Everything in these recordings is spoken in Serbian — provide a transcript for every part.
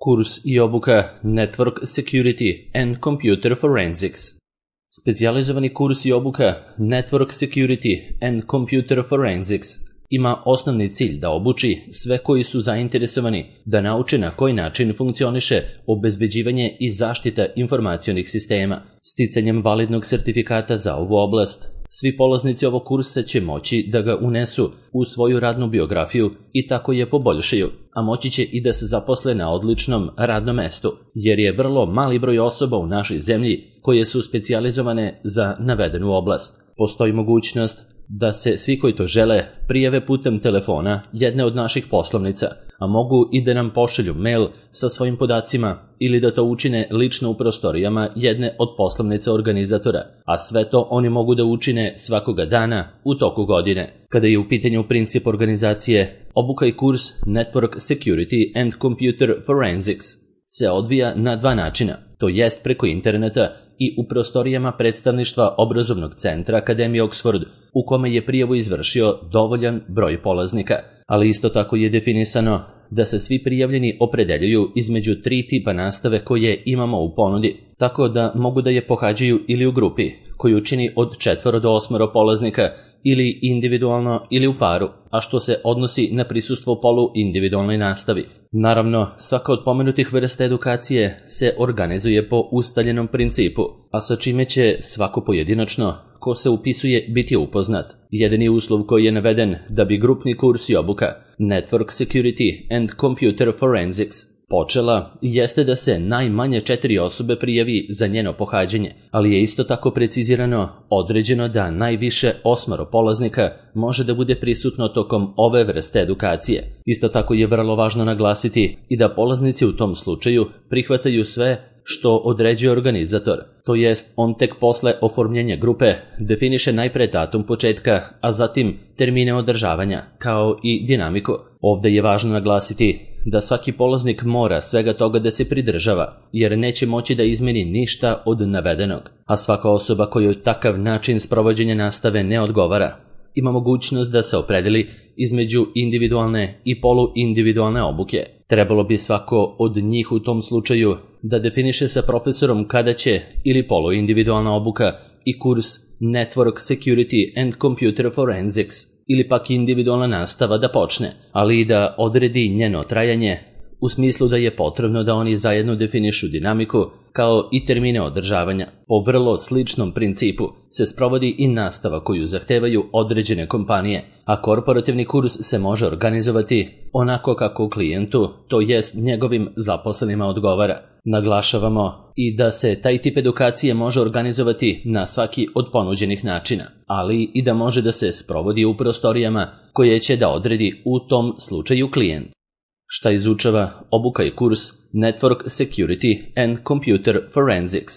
Kurs i obuka Network Security and Computer Forensics. Specijalizovani kurs i obuka Network Security and Computer Forensics ima osnovni cilj da obuči sve koji su zainteresovani da nauče na koji način funkcioniše obezbeđivanje i zaštita informacionih sistema. Sticanjem validnog sertifikata za ovu oblast, svi polaznici ovog kursa će moći da ga unesu u svoju radnu biografiju i tako je poboljšaju, a moći će i da se zaposle na odličnom radnom mestu, jer je vrlo mali broj osoba u našoj zemlji koje su specijalizovane za navedenu oblast. Postoji mogućnost da se svi koji to žele prijave putem telefona jedne od naših poslovnica, a mogu i da nam pošalju mail sa svojim podacima ili da to učine lično u prostorijama jedne od poslovnica organizatora, a sve to oni mogu da učine svakoga dana u toku godine. Kada je u pitanju princip organizacije, obuka i kurs Network Security and Computer Forensics se odvija na dva načina, to jest preko interneta i u prostorijama predstavništva obrazovnog centra Akademije Oxford, u kome je prijavu izvršio dovoljan broj polaznika, ali isto tako je definisano da se svi prijavljeni opredeljuju između tri tipa nastave koje imamo u ponudi, tako da mogu da je pohađaju ili u grupi, koju čini od 4 do 8 polaznika, ili individualno ili u paru, a što se odnosi na prisustvo polu individualnoj nastavi. Naravno, svaka od pomenutih vrsta edukacije se organizuje po ustaljenom principu, a sa čime će svako pojedinačno ko se upisuje biti upoznat. Jedini uslov koji je naveden da bi grupni kurs i obuka Network Security and Computer Forensics počela jeste da se najmanje 4 osobe prijavi za njeno pohađanje, ali je isto tako precizirano određeno da najviše 8 polaznika može da bude prisutno tokom ove vrste edukacije. Isto tako je vrlo važno naglasiti i da polaznici u tom slučaju prihvataju sve što određuje organizator, to jest on tek posle oformljenja grupe definiše najpre datum početka, a zatim termine održavanja, kao i dinamiku. Ovde je važno naglasiti da svaki polaznik mora svega toga da se pridržava, jer neće moći da izmeni ništa od navedenog, a svaka osoba kojoj takav način sprovođenja nastave ne odgovara ima mogućnost da se opredeli između individualne i poluindividualne obuke. Trebalo bi svako od njih u tom slučaju da definiše sa profesorom kada će ili poluindividualna obuka i kurs Network Security and Computer Forensics ili pak individualna nastava da počne, ali i da odredi njeno trajanje, u smislu da je potrebno da oni zajedno definišu dinamiku kao i termine održavanja. Po vrlo sličnom principu se sprovodi i nastava koju zahtevaju određene kompanije, a korporativni kurs se može organizovati onako kako klijentu, to jest njegovim zaposlenima odgovara. Naglašavamo i da se taj tip edukacije može organizovati na svaki od ponuđenih načina, ali i da može da se sprovodi u prostorijama koje će da odredi u tom slučaju klijent. Šta izučava obuka i kurs Network Security and Computer Forensics?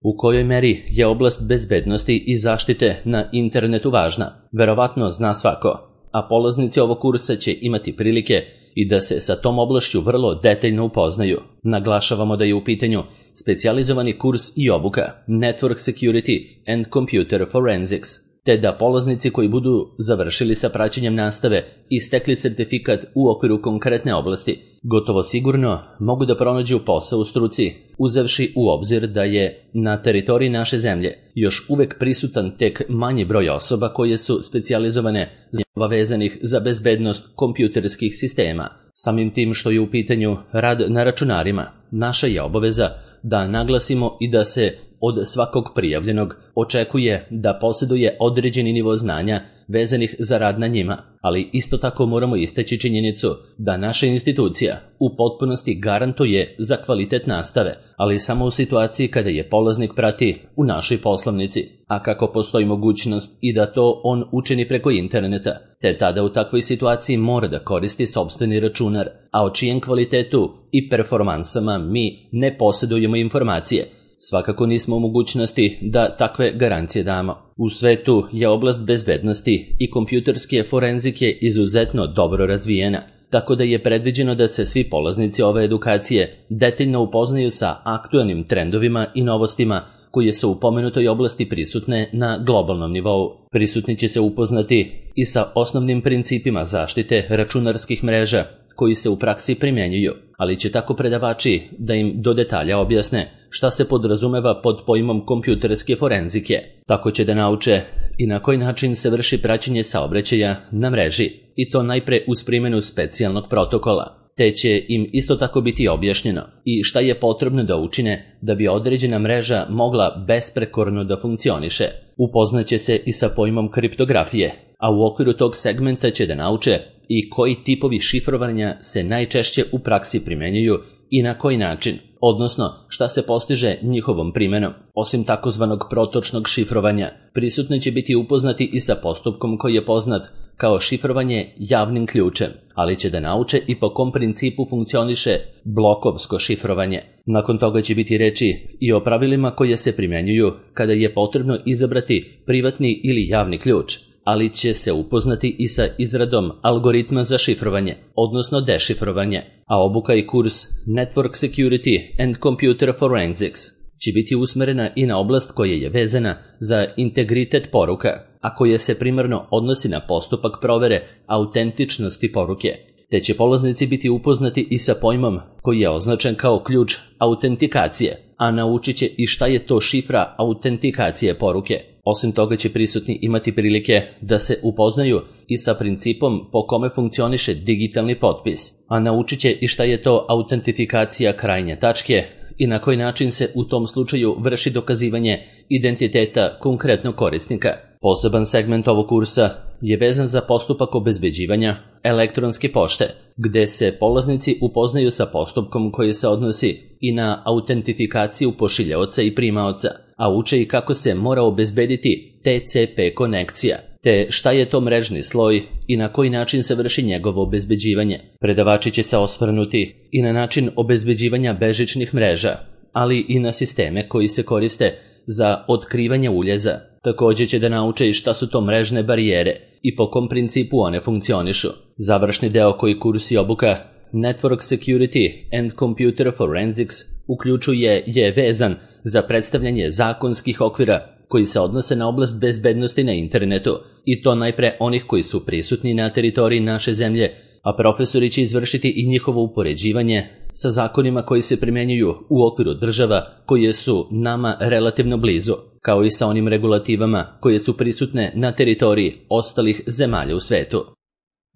U kojoj meri je oblast bezbednosti i zaštite na internetu važna? Verovatno zna svako, a polaznici ovog kursa će imati prilike i da se sa tom oblašću vrlo detaljno upoznaju. Naglašavamo da je u pitanju specijalizovani kurs i obuka Network Security and Computer Forensics, te da polaznici koji budu završili sa praćenjem nastave i stekli sertifikat u okviru konkretne oblasti, gotovo sigurno mogu da pronađu posao u struci, uzevši u obzir da je na teritoriji naše zemlje još uvek prisutan tek manji broj osoba koje su specijalizovane vezanih za bezbednost kompjuterskih sistema. Samim tim što je u pitanju rad na računarima, naša je obaveza da naglasimo i da se od svakog prijavljenog očekuje da posjeduje određeni nivo znanja vezanih za rad na njima, ali isto tako moramo istaći činjenicu da naša institucija u potpunosti garantuje za kvalitet nastave, ali samo u situaciji kada je polaznik prati u našoj poslovnici, a kako postoji mogućnost i da to on učini preko interneta, te tada u takvoj situaciji mora da koristi sopstveni računar, a o čijem kvalitetu i performansama mi ne posjedujemo informacije. Svakako nismo u mogućnosti da takve garancije damo. U svetu je oblast bezbednosti i kompjuterske forenzike izuzetno dobro razvijena, tako da je predviđeno da se svi polaznici ove edukacije detaljno upoznaju sa aktualnim trendovima i novostima koje su u pomenutoj oblasti prisutne na globalnom nivou. Prisutni će se upoznati i sa osnovnim principima zaštite računarskih mreža, koji se u praksi primjenjuju, ali će tako predavači da im do detalja objasne šta se podrazumeva pod pojmom kompjuterske forenzike. Tako će da nauče i na koji način se vrši praćenje saobraćaja na mreži, i to najpre uz primjenu specijalnog protokola. Te će im isto tako biti objašnjeno i šta je potrebno da učine da bi određena mreža mogla besprekorno da funkcioniše. Upoznaće se i sa pojmom kriptografije, a u okviru tog segmenta će da nauče i koji tipovi šifrovanja se najčešće u praksi primenjuju i na koji način, odnosno šta se postiže njihovom primenom. Osim takozvanog protočnog šifrovanja, prisutni će biti upoznati i sa postupkom koji je poznat kao šifrovanje javnim ključem, ali će da nauče i po kom principu funkcioniše blokovsko šifrovanje. Nakon toga će biti reči i o pravilima koje se primjenjuju kada je potrebno izabrati privatni ili javni ključ, ali će se upoznati i sa izradom algoritma za šifrovanje, odnosno dešifrovanje, a obuka i kurs Network Security and Computer Forensics će biti usmerena i na oblast koja je vezana za integritet poruka, a koja se primarno odnosi na postupak provere autentičnosti poruke, te će polaznici biti upoznati i sa pojmom koji je označen kao ključ autentikacije, a naučit će i šta je to šifra autentikacije poruke. Osim toga će prisutni imati prilike da se upoznaju i sa principom po kome funkcioniše digitalni potpis, a naučit će i šta je to autentifikacija krajnje tačke i na koji način se u tom slučaju vrši dokazivanje identiteta konkretnog korisnika. Poseban segment ovog kursa je vezan za postupak obezbeđivanja elektronske pošte, gde se polaznici upoznaju sa postupkom koji se odnosi i na autentifikaciju pošiljaoca i primaoca, a uče i kako se mora obezbediti TCP konekcija, te šta je to mrežni sloj i na koji način se vrši njegovo obezbeđivanje. Predavači će se osvrnuti i na način obezbeđivanja bežičnih mreža, ali i na sisteme koji se koriste za otkrivanje uljeza. Također će da nauče i šta su to mrežne barijere i po kom principu one funkcionišu. Završni deo koji kurs i obuka Network Security and Computer Forensics uključuje je vezan za predstavljanje zakonskih okvira koji se odnose na oblast bezbednosti na internetu, i to najpre onih koji su prisutni na teritoriji naše zemlje, a profesori će izvršiti i njihovo upoređivanje sa zakonima koji se primjenjuju u okviru država koje su nama relativno blizu, kao i sa onim regulativama koje su prisutne na teritoriji ostalih zemalja u svetu.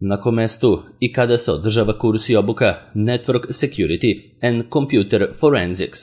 Na kom mestu i kada se održava kurs i obuka Network Security and Computer Forensics?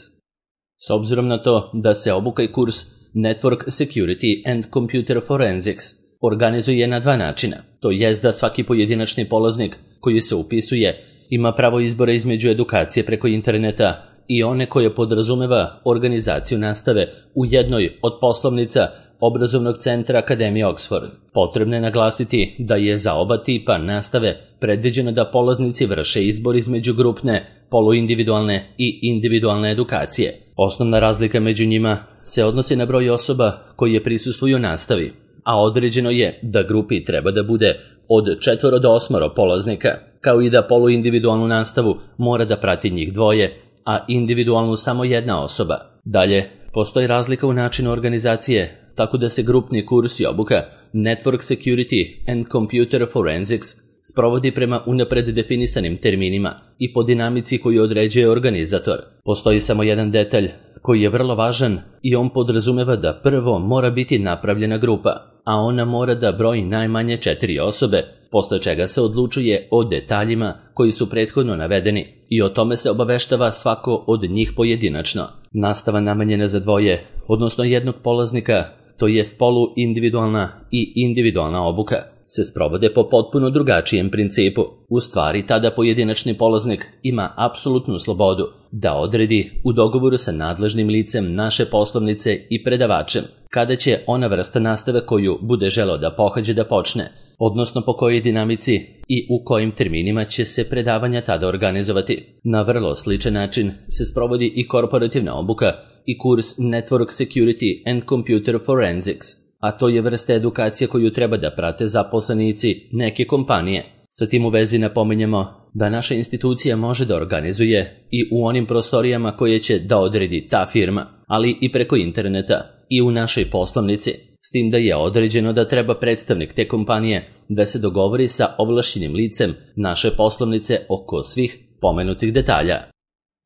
S obzirom na to da se obuka i kurs Network Security and Computer Forensics organizuje na dva načina, to jest da svaki pojedinačni polaznik koji se upisuje ima pravo izbora između edukacije preko interneta i one koje podrazumeva organizaciju nastave u jednoj od poslovnica obrazovnog centra Akademije Oxford. Potrebno je naglasiti da je za oba tipa nastave predviđeno da polaznici vrše izbor između grupne, poluindividualne i individualne edukacije. Osnovna razlika među njima se odnosi na broj osoba koje prisustvuju nastavi, a određeno je da grupi treba da bude od 4 do 8 polaznika, kao i da poluindividualnu nastavu mora da prati njih 2, a individualnu samo 1 osoba. Dalje, postoji razlika u načinu organizacije, tako da se grupni kurs i obuka Network Security and Computer Forensics sprovodi prema unapred definisanim terminima i po dinamici koju određuje organizator. Postoji samo jedan detalj koji je vrlo važan i on podrazumeva da prvo mora biti napravljena grupa, a ona mora da broji najmanje 4 osobe, posle čega se odlučuje o detaljima koji su prethodno navedeni i o tome se obaveštava svako od njih pojedinačno. Nastava namenjena za 2, odnosno 1 polaznika, to jest poluindividualna i individualna obuka, se sprovode po potpuno drugačijem principu. U stvari, tada pojedinačni polaznik ima apsolutnu slobodu da odredi u dogovoru sa nadležnim licem naše poslovnice i predavačem kada će ona vrsta nastave koju bude želeo da pohađe da počne, odnosno po kojoj dinamici i u kojim terminima će se predavanja tada organizovati. Na vrlo sličan način se sprovodi i korporativna obuka i kurs Network Security and Computer Forensics, a to je vrsta edukacije koju treba da prate zaposlenici neke kompanije. Sa tim u vezi napominjemo da naša institucija može da organizuje i u onim prostorijama koje će da odredi ta firma, ali i preko interneta i u našoj poslovnici. s tim da je određeno da treba predstavnik te kompanije da se dogovori sa ovlašćenim licem naše poslovnice oko svih pomenutih detalja.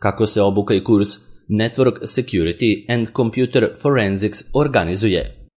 Kako se obuka i kurs Network Security and Computer Forensics organizuje?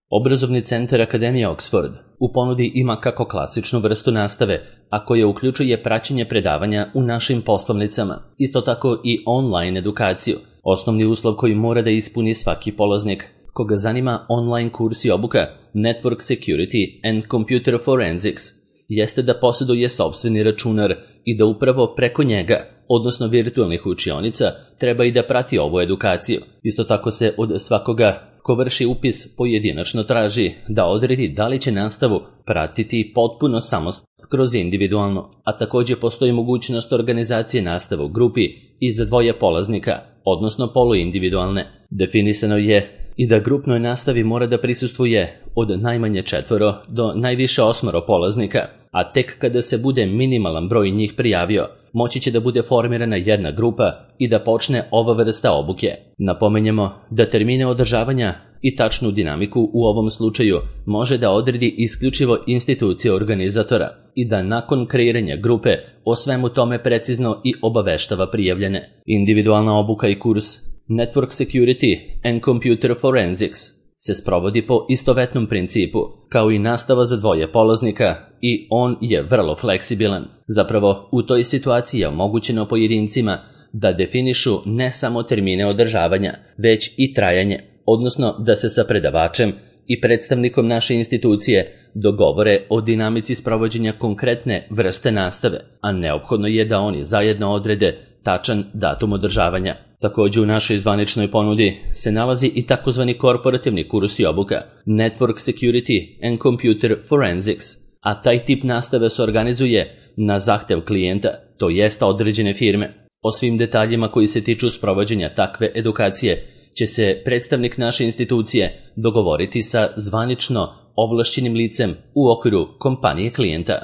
Obrazovni centar Akademije Oxford u ponudi ima kako klasičnu vrstu nastave, a koja uključuje praćenje predavanja u našim poslovnicama, isto tako i online edukaciju. Osnovni uslov koji mora da ispuni svaki polaznik koga zanima online kurs i obuka Network Security and Computer Forensics jeste da posjeduje sopstveni računar i da upravo preko njega, odnosno virtualnih učionica, treba i da prati ovu edukaciju. Isto tako se od svakoga ko vrši upis pojedinačno traži da odredi da li će nastavu pratiti potpuno samostalno kroz individualno, a također postoji mogućnost organizacije nastave u grupi i za dvoje polaznika, odnosno poluindividualne. Definisano je i da grupnoj nastavi mora da prisustvuje od najmanje 4 do najviše 8 polaznika, a tek kada se bude minimalan broj njih prijavio, moći će da bude formirana jedna grupa i da počne ova vrsta obuke. Napomenjemo da termine održavanja i tačnu dinamiku u ovom slučaju može da odredi isključivo institucija organizatora i da nakon kreiranja grupe o svemu tome precizno i obaveštava prijavljene. Individualna obuka i kurs Network Security and Computer Forensics se sprovodi po istovetnom principu, kao i nastava za dvoje polaznika i on je vrlo fleksibilan. Zapravo, u toj situaciji je omogućeno pojedincima da definišu ne samo termine održavanja, već i trajanje, odnosno da se sa predavačem i predstavnikom naše institucije dogovore o dinamici sprovođenja konkretne vrste nastave, a neophodno je da oni zajedno odrede tačan datum održavanja. Također u našoj zvaničnoj ponudi se nalazi i takozvani korporativni kurs i obuka Network Security and Computer Forensics, a taj tip nastave se organizuje na zahtev klijenta, to jest određene firme. O svim detaljima koji se tiču sprovođenja takve edukacije će se predstavnik naše institucije dogovoriti sa zvanično ovlašćenim licem u okviru kompanije klijenta.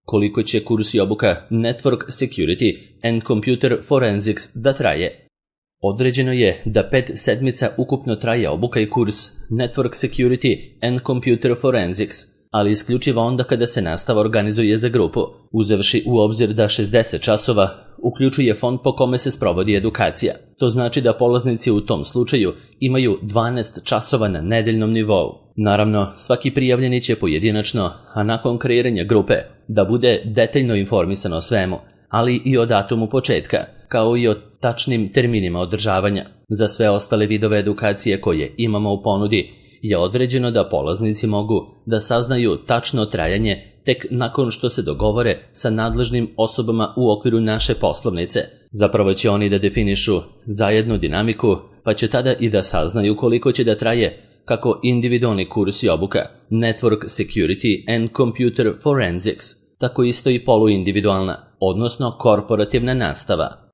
Koliko će kurs i obuka Network Security and Computer Forensics da traje? Određeno je da 5 sedmica ukupno traje obuka i kurs Network Security and Computer Forensics, ali isključivo onda kada se nastava organizuje za grupu, uzevši u obzir da 60 časova uključuje fond po kome se sprovodi edukacija. To znači da polaznici u tom slučaju imaju 12 časova na nedeljnom nivou. Naravno, svaki prijavljeni će pojedinačno, a nakon kreiranja grupe, da bude detaljno informisan o svemu, ali i o datumu početka, kao i o tačnim terminima održavanja. Za sve ostale vidove edukacije koje imamo u ponudi je određeno da polaznici mogu da saznaju tačno trajanje tek nakon što se dogovore sa nadležnim osobama u okviru naše poslovnice. Zapravo će oni da definišu zajednu dinamiku, pa će tada i da saznaju koliko će da traje kako individualni kurs i obuka Network Security and Computer Forensics, tako isto i poluindividualna, odnosno korporativna nastava.